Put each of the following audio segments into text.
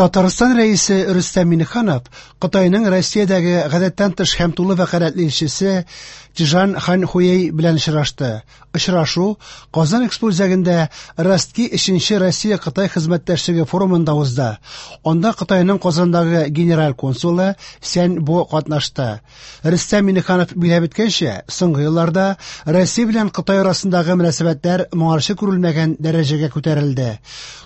Татарстан Рәисе Рөстәм Миңнеханов Кытайның Россиядәге гадәттән тыш һәм тулы вәкаләтле илчесе Чжан Ханьхуэй белән очрашты. Очрашу Казан Экспо үзәгендә Ростки 3нче Россия-Кытай хезмәттәшлеге форумында узды. Анда Кытайның Казандагы генераль консулы Сянь Бо катнашты. Рөстәм Миңнеханов билгеләп үткәнчә, соңгы елларда Россия белән Кытай арасындагы мөнәсәбәтләр моңарчы күрелмәгән дәрәҗәгә күтәрелде.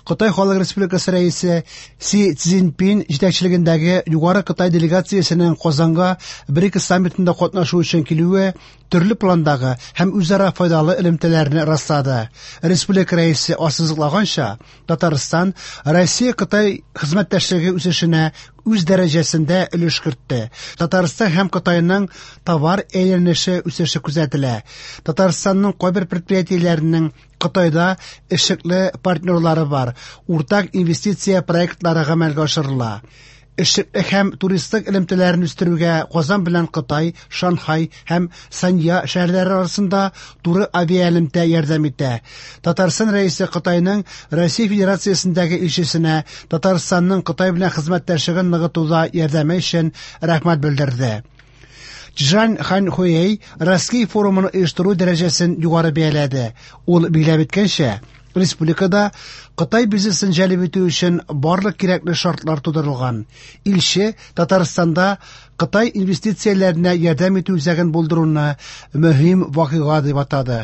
Кытай Халык Республикасы Рәисе Си Цзиньпин җитәкчелегендәге югары Кытай делегациясенең Казанга БРИКС саммитында катнашу өчен килүе төрле пландагы һәм үзара файдалы элемтәләрне раслады. Республика Рәисе ассызыклаганча, Татарстан Россия-Кытай хезмәттәшлеге үсешенә үз дәрәҗәсендә өлеш кертте. Татарстан һәм Кытайның товар әйләнеше үсеше күзәтелә. Татарстанның кайбер предприятиеләренең Кытайда эшлекле партнерлары бар, уртак инвестиция проектлары гамәлгә ашырыла. Эшлекле һәм туристлык элемтәләрен үстерүгә Казан белән Кытай, Шанхай һәм Санья шәһәрләре арасында туры авиаэлемтә ярдәм итә. Татарстан Рәисе Кытайның Россия Федерациясендәге илчесенә Татарстанның Кытай белән хезмәттәшлеген ныгытуда ярдәме өчен рәхмәт белдерде. Чжан Ханьхуэй Ростки форумын оештыру дәрәҗәсен югары бәяләде. Ул билгеләп үткәнчә, республикада Кытай бизнесын җәлеп итү өчен барлык кирәкле шартлар тудырылган. Илче Татарстанда Кытай инвестицияләренә ярдәм итү үзәген булдыруны мөһим вакыйга дип атады.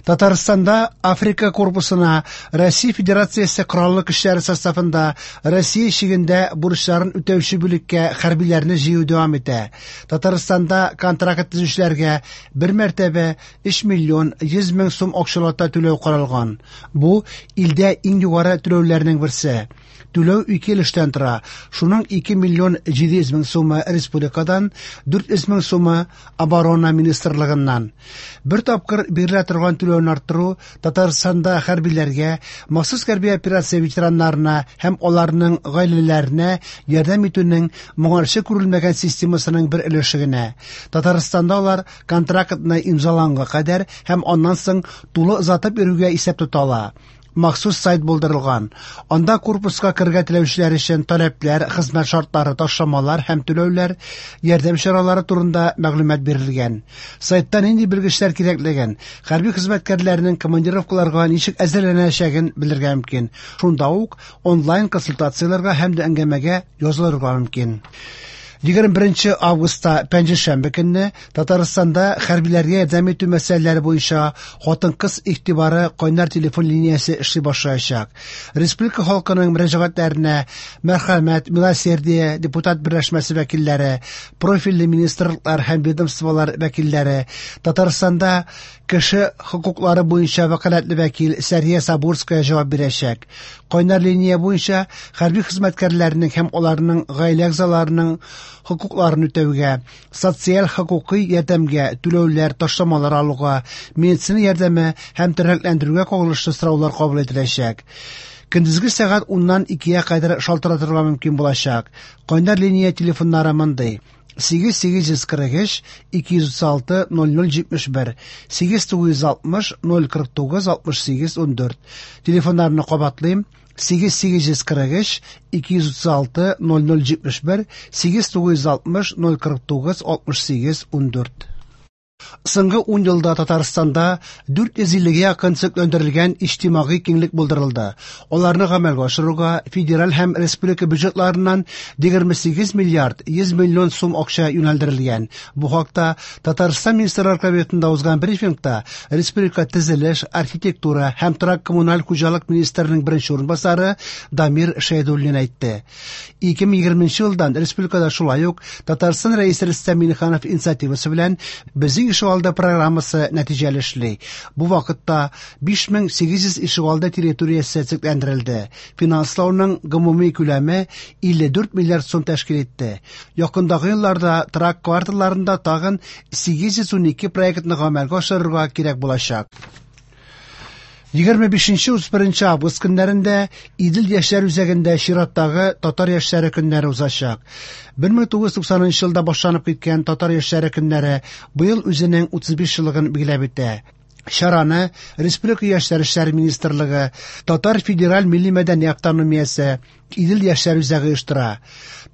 Татарстанда Африка корпусына Россия Федерациясе Кораллы көчләре составында Россия чигендә бурычларын үтәүче бүлеккә хәрбиләрне җыю дәвам итә. Татарстанда контракт төзүчеләргә бер мәртәбә 3 миллион 100 мең сум акчалата түләү каралган. Бу илдә иң югары түләүләрнең берсе. Түләү ике өлештән тора. Шуның 2 миллион 700 мең сумы республикадан, 400 мең сумы Оборона министрлыгыннан. Бер тапкыр бирелә торган түләүне арттыру Татарстанда хәрбиләргә, махсус хәрби операция ветераннарына һәм аларның гаиләләренә ярдәм итүнең моңарчы күрелмәгән системасының бер өлеше генә. Татарстанда алар контрактны имзаланга кадәр һәм аннан соң тулы озатып йөрүгә исәп тотала. Махсус сайт булдырылган. Анда корпуска керергә теләүчеләр өчен таләпләр, хезмәт шартлары, ташламалар һәм түләүләр, ярдәм чаралары турында мәгълүмат бирелгән. Сайтта нинди белгечләр кирәклеген, хәрби хезмәткәрләрнең командировкаларга ничек әзерләнәчәген белергә мөмкин. Шунда ук онлайн консультацияләргә һәм дә әңгәмәгә язылырга мөмкин. 21 августта пәнҗешәмбе көнне Татарстанда хәрбиләргә ярдәм итү мәсьәләләре буенча хатын-кыз игътибары кайнар телефон линиясе эшли башлаячак. Республика халкының мөрәҗәгатьләренә Мәрхәмәт, Милосердие, депутат берләшмәсе вәкилләре, профильле министрлыклар һәм ведомстволар вәкилләре, Татарстанда кеше хокуклары буенча вәкаләтле вәкил Сәрия Сабурская җавап бирәчәк. Кайнар линия буенча хәрби хезмәткәрләрнең һәм аларның гаилә әгъзаларының хокукларын үтәүгә, социаль хокукый ярдәмгә, түләүләр, ташламалар алуга, медицина ярдәме һәм тернәкләндерүгә кагылышлы сораулар кабул ителәчәк. Көндезге сәгать 10-нан 2-гә кадәр шалтыратырга мөмкин булачак. Кайнар линия телефоннары мондый: 8843 236 0071, 8960 049 68 14. Телефоннарны кабатлыйм: 8843 236 0071, 8960 049 68 14. Соңгы 10 елда Татарстанда 450-гә якын төзекләндерелгән иҗтимагый киңлек булдырылды. Аларны гамәлгә ашыруга федераль һәм республика бюджетларыннан 28 миллиард 100 миллион сум акча юнәлдерелгән. Бу хакта Татарстан Министрлар Кабинетында узган брифингта республика төзелеш, архитектура һәм торак-коммуналь хуҗалык министрының беренче урынбасары Дамир Шәйдуллин әйтте. 2020 елдан республикада шулай ук Татарстан Рәисе Рөстәм Миңнеханов инициативасы белән Безнең ишегалды программасы нәтиҗәле эшли. Бу вакытта 5800 ишегалды территориясе төзекләндерелде. Финанслауның гомуми күләме 54 миллиард сум тәшкил итте. Якындагы елларда торак кварталларында тагын 812 проектны гамәлгә ашырырга кирәк булачак. 25-31 август көннәрендә Идел яшьләр үзәгендә чираттагы Татар яшьләре көннәре узачак. 1990 елда башланып киткән Татар яшьләре көннәре быел үзенең 35 еллыгын билгеләп үтә. Чараны Республика яшьләр эшләре министрлыгы, Татар федераль милли мәдәни автономиясе, Идел яшьләр үзәге оештыра.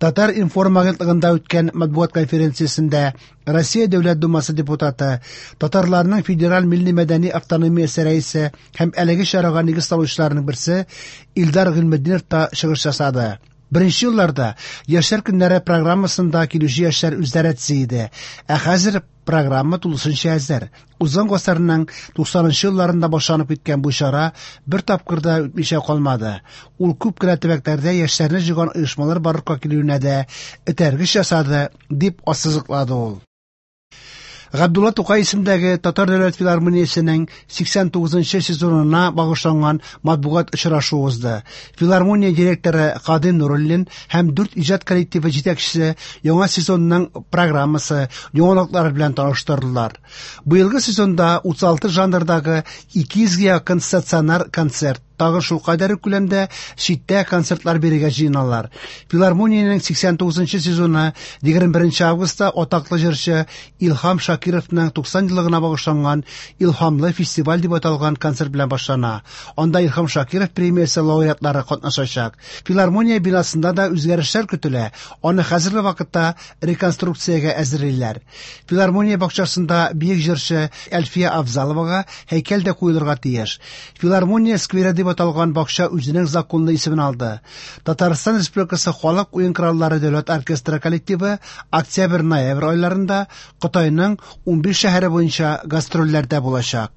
Татар-информ агентлыгында үткән матбугат конференциясендә Россия Дәүләт Думасы депутаты, татарларның федераль милли-мәдәни автономиясе рәисе һәм әлеге чарага нигез салучыларның берсе Илдар Гыйльметдинов та чыгыш ясады. Беренче елларда Яшьләр көннәре программасын да килүче яшьләр үзләре төзи иде. Ә хәзер программа тулысынча әзер. Узган гасырның 90 нчы елларында башланып киткән бу чара бер тапкыр да үтмичә калмады. Ул күп кенә төбәкләрдә яшьләрне җыйган оешмалар барлыкка килүенә дә этәргеч ясады, дип ассызыклады ул. Габдулла Тукай исемендәге Татар дәүләт филармониясенең 89 нчы сезонына багышланган матбугат очрашуы узды. Филармония директоры Кадыйр Нуруллин һәм дүрт иҗат коллективы җитәкчесе яңа сезонның программасы, яңалыклары белән таныштырдылар. Быелгы сезонда 36 жанрдагы 200 гә якын стационар концерт, тагын шулкадәр үк күләмдә читтә концертлар бирергә җыеналар. Филармониянең 89 нчы сезоны 21 нче августта атаклы җырчы Илһам Шакировның 90 еллыгына багышланган Илһамлы фестиваль дип аталган концерт белән башлана. Анда Илһам Шакиров премиясе лауреатлары катнашачак. Филармония бинасында да үзгәрешләр көтелә, аны хәзерге вакытта реконструкциягә әзерлиләр. Филармония бакчасында бөек җырчы Әлфия Авзаловага һәйкәл дә куелырга тиеш. Филармония скверы дип аталган бакча үзенең законлы исемен алды. Татарстан Республикасы халык уен кораллары дәүләт оркестры коллективы октябрь-ноябрь айларында Кытайның 15 шәһәре буенча гастрольләрдә булачак.